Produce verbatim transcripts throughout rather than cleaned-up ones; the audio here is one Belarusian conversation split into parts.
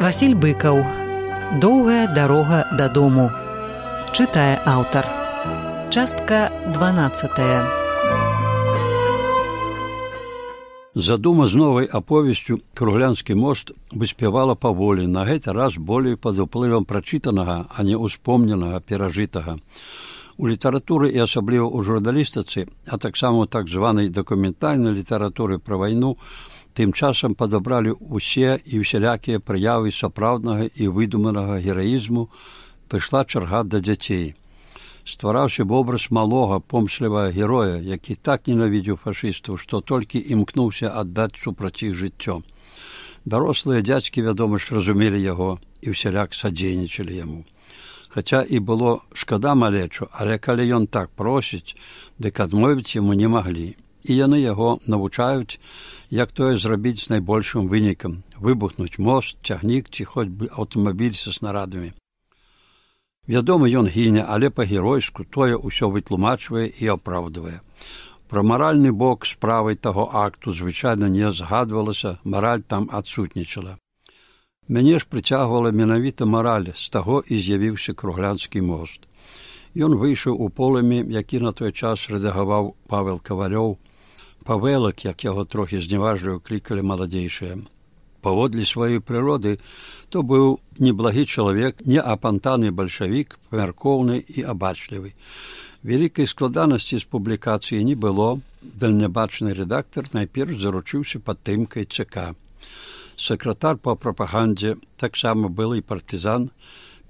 Васіль Быкаў. Доўгая дарога дадому. Чытае аўтар. Частка дванаццатая. Задума з новай аповесцю «Круглянскі мост» выспявала паволі, на гэты раз болей пад уплывам прачытанага, а не ўспомненага, перажытага. У літаратуры і асабліва ў журналістыцы, а таксама ў так званай дакументальнай літаратуры пра вайну, тым часам падабралі ўсе і ўсялякія праявы сапраўднага і выдуманага гераізму, прыйшла чарга да дзяцей. Ствараўся вобраз малога, помслівага героя, які так ненавідзеў фашыстаў, што толькі імкнуўся аддаць супраць іх жыццё. Дарослыя дзядзькі, вядома ж, разумелі яго і ўсяляк садзейнічалі яму. Хаця і было шкада малечу, але калі ён так просіць, дык адмовіць яму не маглі. І яны яго навучаюць, як тое зрабіць з найбольшым вынікам – выбухнуць мост, цягнік ці хоць бы аўтамабіль са снарадамі. Вядома, ён гіне, але па-геройску тое ўсё вытлумачвае і апраўдвае. Пра маральны бок справай таго акту звычайна не згадвалася, мараль там адсутнічала. Мяне ж прыцягвала менавіта мараль, з таго і з'явіўся Круглянскі мост. Ён выйшаў у полымі, які на той час рэдагаваў Павел Кавалёў, Павелак, як яго трохі зневажліва клікалі маладзейшыя. Паводле сваёй прыроды, то быў неблагі чалавек, не апантаны бальшавік, памяркоўны і абачлівы. Вялікай складанасці з публікацыі не было, дальнябачны рэдактар найперш заручыўся падтрымкай ЦК. Сакратар па прапагандзе, таксама былы партызан,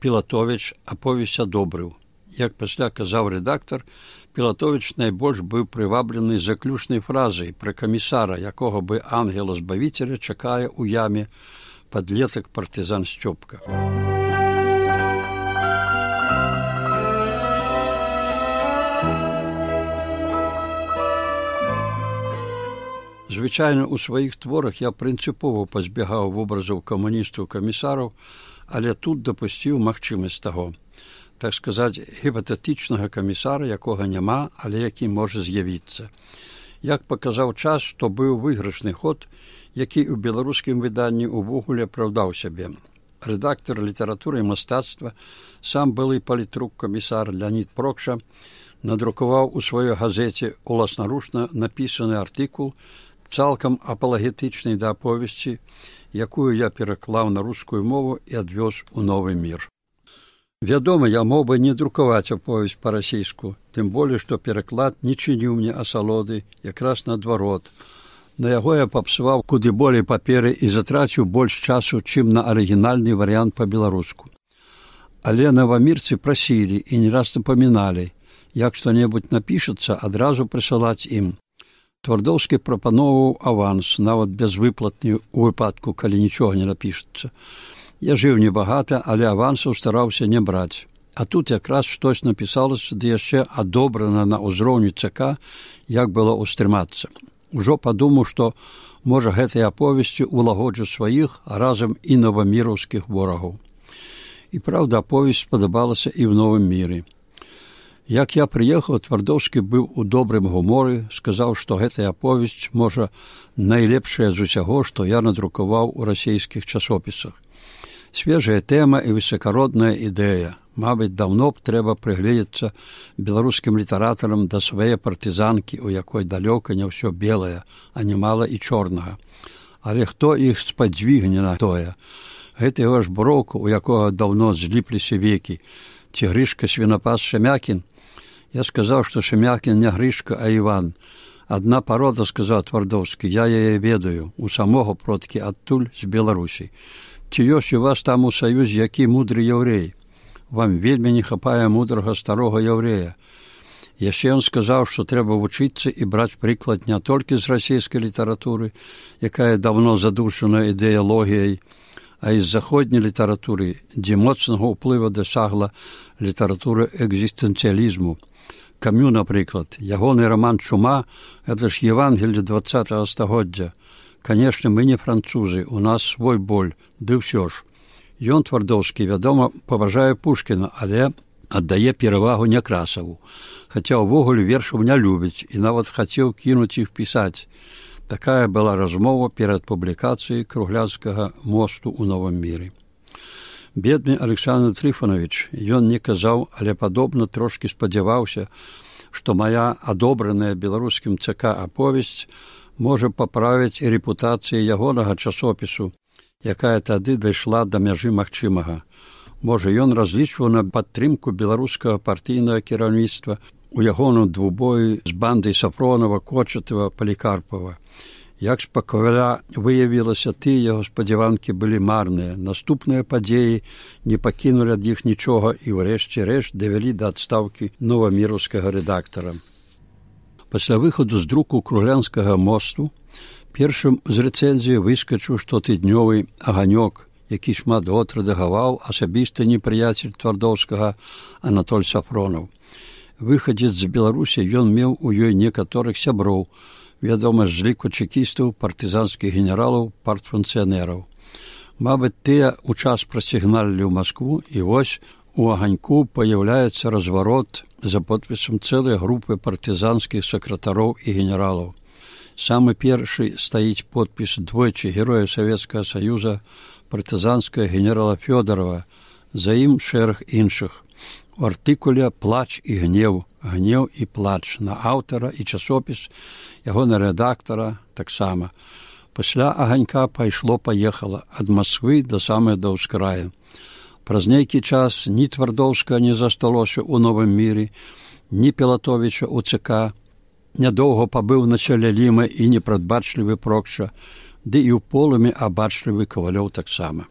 Пілатовіч аповесць адобрыў. Як пасля казаў рэдактар, Пілатовіч найбольш быў прываблены заключнай фразай пра камісара, якога бы ангела-збавіцеля чакае ў яме падлетак партызан Сцёпка. Звычайна, у сваіх творах я прынцыпова пазбягаў вобразаў камуністаў-камісараў, але тут дапусціў магчымасць таго. Так сказаць, гіпатэтычнага камісара, якога няма, але які можа з'явіцца. Як паказаў час, што быў выйгрышны ход, які ў беларускім выданні ўвогуле апраўдаў сябе. Рэдактар літаратуры і мастацтва, сам былы палітрук камісар Леонід Прокша, надрукаваў у сваёй газеце уласнаручна напісаны артыкул, цалкам апалагетычны да аповесці, якую я пераклаў на рускую мову і адвёз у новы мір. Вядома, я мог бы не друкаваць аповесць па-расейску, тым болей, што пераклад не чыніў мне асалоды, якраз наадварот. На яго я папсаваў куды болей паперы і затраціў больш часу, чым на арыгінальны варыянт па-беларуску. Але навамірцы прасілі і не раз напаміналі, як што-небудзь напішацца, адразу прысылаць ім. Твардоўскі прапаноўваў аванс, нават безвыплатны ў выпадку, калі нічога не напішацца. Я жыў небагата, але авансаў стараўся не браць. А тут якраз штось напісалася, ды яшчэ адобрана на ўзроўні ЦК, як было ўстрымацца. Ужо падумаў, што, можа, гэтай аповесці ўлагоджу сваіх, а разам і новаміраўскіх ворагаў. І, праўда, аповесць спадабалася і ў новым міры. Як я прыехаў, Твардоўскі быў у добрым гуморы, сказаў, што гэтая аповесць, можа, найлепшая з усяго, што я надрукаваў у расейскіх часопісах. Свежая тэма і высакародная ідэя. Мабыць, даўно б трэба прыгледзецца беларускім літаратарам да свае партызанкі, у якой далёка не ўсё белае, а немала і чорнага. Але хто іх спадзвігне на тое? Гэты ваш броўка, у якога даўно зліпліся векі. Ці Грышка свінапас Шемякін? Я сказаў, што Шемякін не Грышка, а Іван. Адна парода, сказаў Твардоўскі, я яе ведаю, у самога продкі адтуль з Беларусі. Ці ёсць у вас там у саюзе які мудры яўрэй? Вам вельмі не хапае мудрага старога яўрэя. Яшчэ ён сказаў, што трэба вучыцца і браць прыклад не толькі з расійскай літаратуры, якая даўно задушана ідэалогіяй, а і з заходняй літаратуры, дзе моцнага ўплыва дасягла літаратура экзістэнцыялізму. Камю, напрыклад, ягоны раман «Чума» – гэта ж Евангелле дваццатага стагоддзя. Канешне, мы не французы, у нас свой боль, ды ўсё ж. Ён, Твардоўскі, вядома, паважае Пушкіна, але аддае перавагу Някрасаву. Хаця ўвогуле вершаў не любіць і нават хацеў кінуць іх пісаць. Такая была размова перад публікацыяй Круглянскага мосту ў новым міры. Бедны Александр Трифонович, ён не казаў, але падобна трошкі спадзяваўся, што мая адобраная беларускім ЦК аповесць можа паправіць і рэпутацыю ягонага часопісу, якая тады дайшла да мяжы магчымага. Можа, ён разлічваў на падтрымку беларускага партыйнага кіраўніцтва у ягоным двубоі з бандай Сафронова, Кочатава, Палікарпава. Як спакойна выявілася, тыя яго спадзяванкі былі марныя. Наступныя падзеі не пакінулі ад іх нічога і ўрэшце рэшт давялі да адстаўкі новаміраўскага рэдактара. Пасля выхаду з друку Круглянскага мосту першым з рэцэнзіі выскачыў штотыднёвы аганёк, які шмат год рэдагаваў асабісты непрыяцель Твардоўскага Анатоль Сафронаў. Выхадзец з Беларусі, ён меў у ёй некаторых сяброў, вядома, з ліку чекістаў, партызанскіх генералаў, партфункцыянераў. Мабыць, тыя ў час прасігналілі ў Маскву, і вось у аганьку паяўляецца разварот за подпісам цэлай групы партызанскіх сакратароў і генералаў. Самы першы стаіць подпіс двойчы героя Савецкага Саюза, партызанскага генерала Фёдорова, за ім шэраг іншых. У артыкуле «Плач і гнеў», «Гнеў і плач» на аўтара і часопіс, ягона рэдактара таксама. Пасля аганька пайшло-паехала ад Масквы да самай да ўскрая. Праз нейкі час ні Твардоўска не засталося ў Новым міры, ні Пілатовіча ў ЦК. Нядоўга пабыў на чале Ліма і непрадбачлівы Прокша, ды і ў полымі абачлівы Кавалёў таксама.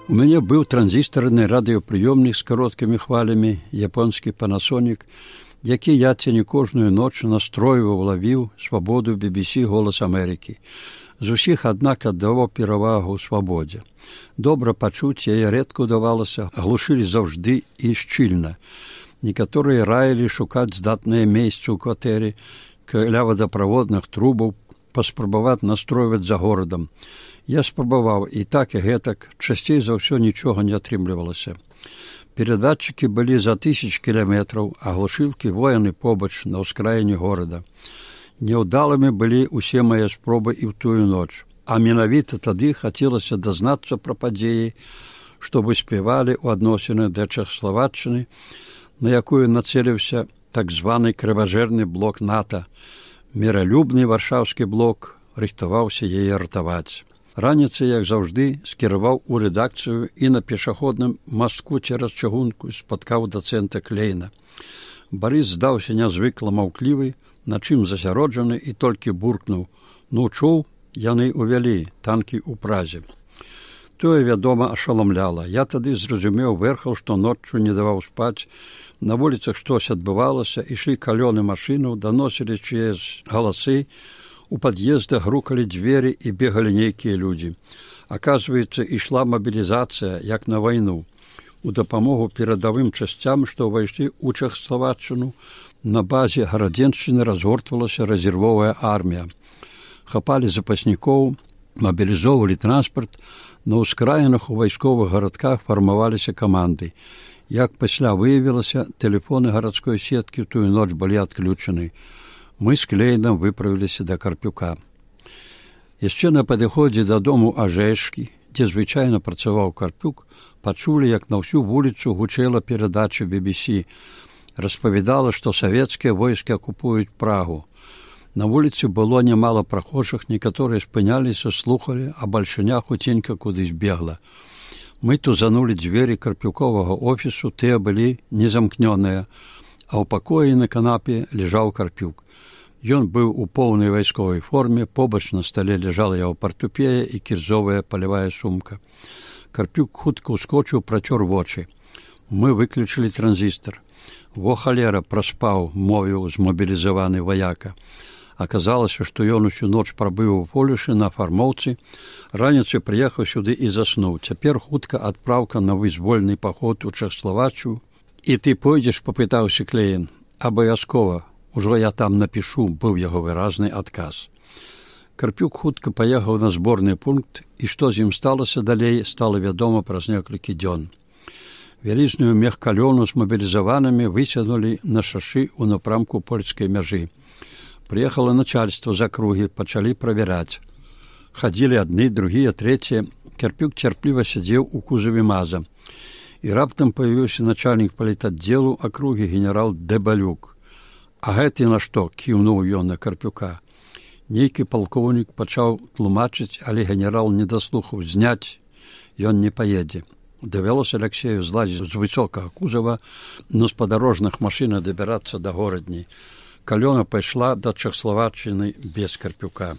У мяне быў транзістарны радыёпрыёмнік з кароткімі хвалямі, японскі Panasonic, які я ці не кожную ноч настройваў, лавіў свабоду би би сі «Голас Амерыкі». З усіх, аднак, аддаваў перавагу свабодзе. Добра пачуць яе рэдка ўдавалася, глушылі заўжды і шчыльна. Некаторыя раілі шукаць здатнае месца ў кватэры, каля вадаправодных трубаў, паспрабаваць настройваць за горадам. Я спрабаваў і так і гэтак, часцей за ўсё нічога не атрымлівалася. Перадатчыкі былі за тысяч кіламетраў, а глушылкі вояны побач на ўскраіне горада. Няўдалымі былі ўсе мае спробы і ў тую ноч, а менавіта тады хацелася дазнацца пра падзеі, што выспявалі ў адносінах да Чэхаславаччыны, на якую нацэліўся так званы крыважэрны блок НАТО. Міралюбны варшаўскі блок рыхтаваўся яе ратаваць. Раніцай, як заўжды, скіраваў у рэдакцыю і на пешаходным мастку цераз чыгунку спаткаў дацэнта Клейна. Барыс здаўся нязвыкла маўклівы, на чым засяроджаны, і толькі буркнуў: «Ну, чуў, яны ўвялі танкі ў Празе». Тое, вядома, ашаламляла. Я тады зразумеў верхаў, што ноччу не даваў спаць. На вуліцах штось адбывалася, ішлі калёны машынаў, даносілі чыясь галасы, у пад'ездах грукалі дзверы і бегалі нейкія людзі. Аказваецца, ішла мабілізацыя, як на вайну. У дапамогу перадавым часцям, што ўвайшлі ў Чэхаславаччыну, на базе Гарадзеншчыны разгортвалася рэзервовая армія. Хапалі запаснікоў, мабілізоўвалі транспарт, на ўскраінах у вайсковых гарадках фармаваліся каманды. Як пасля выявілася, тэлефоны гарадской сеткі ў тую ноч былі адключаны. Мы з Клейнам выправіліся да Карпюка. Яшчэ на падыходзе дадому Ажэшкі, дзе звычайна працаваў Карпюк, пачулі, як на ўсю вуліцу гучэла перадача би би сі. Распавядала, што савецкія войскі акупуюць Прагу. На вуліцы было нямала прахожых, некаторыя спыняліся, слухалі, а бальшыня хуценька кудысь бегла. Мы тузанулі дзверы Карпюковага офісу, тыя былі незамкнёныя, а ў пакоі на канапе ляжаў Карпюк. Ён быў у поўнай вайсковай форме, побач на стале ляжала яго партупея і кірзовая палявая сумка. Карпюк хутка ўскочыў, працёр вочы. Мы выключылі транзістар. «Во халера, праспаў», мовіў змобілізаваны ваяка. Аказалася, што ён усю ноч прабыў у полюшы на фармоўцы, раніцай прыехаў сюды і заснуў. Цяпер хутка адпраўка на вызвольны паход у Чэхаславаччыну. «І ты пойдзеш?» – папытаўся Клейн. «Абавязкова. Ужо я там напішу», – быў яго выразны адказ. Карпюк хутка паехаў на зборны пункт, і што з ім сталася далей, стала вядома праз некалькі дзён. Вялізную мехкалёну з мабілізаванымі выцягнулі на шашы ў напрамку польскай мяжы. Прыехала начальство з акругі, пачалі правяраць. Хадзілі адны, другія, трэція. Карпюк цярпліва сядзеў у кузаве маза. І раптам паявіўся начальнік палітаддзелу акругі генерал Дэбалюк. А гэты на што? Кіўнуў ён на Карпюка. Нейкі палкоўнік пачаў тлумачыць, але генерал не даслухаў. Зняць ён не паедзе. Давялося Аляксею злазіць з высокага кузава, на спадарожных машынах дабірацца да горадні. Калёна пайшла да Чэхаславаччыны без Карпюка.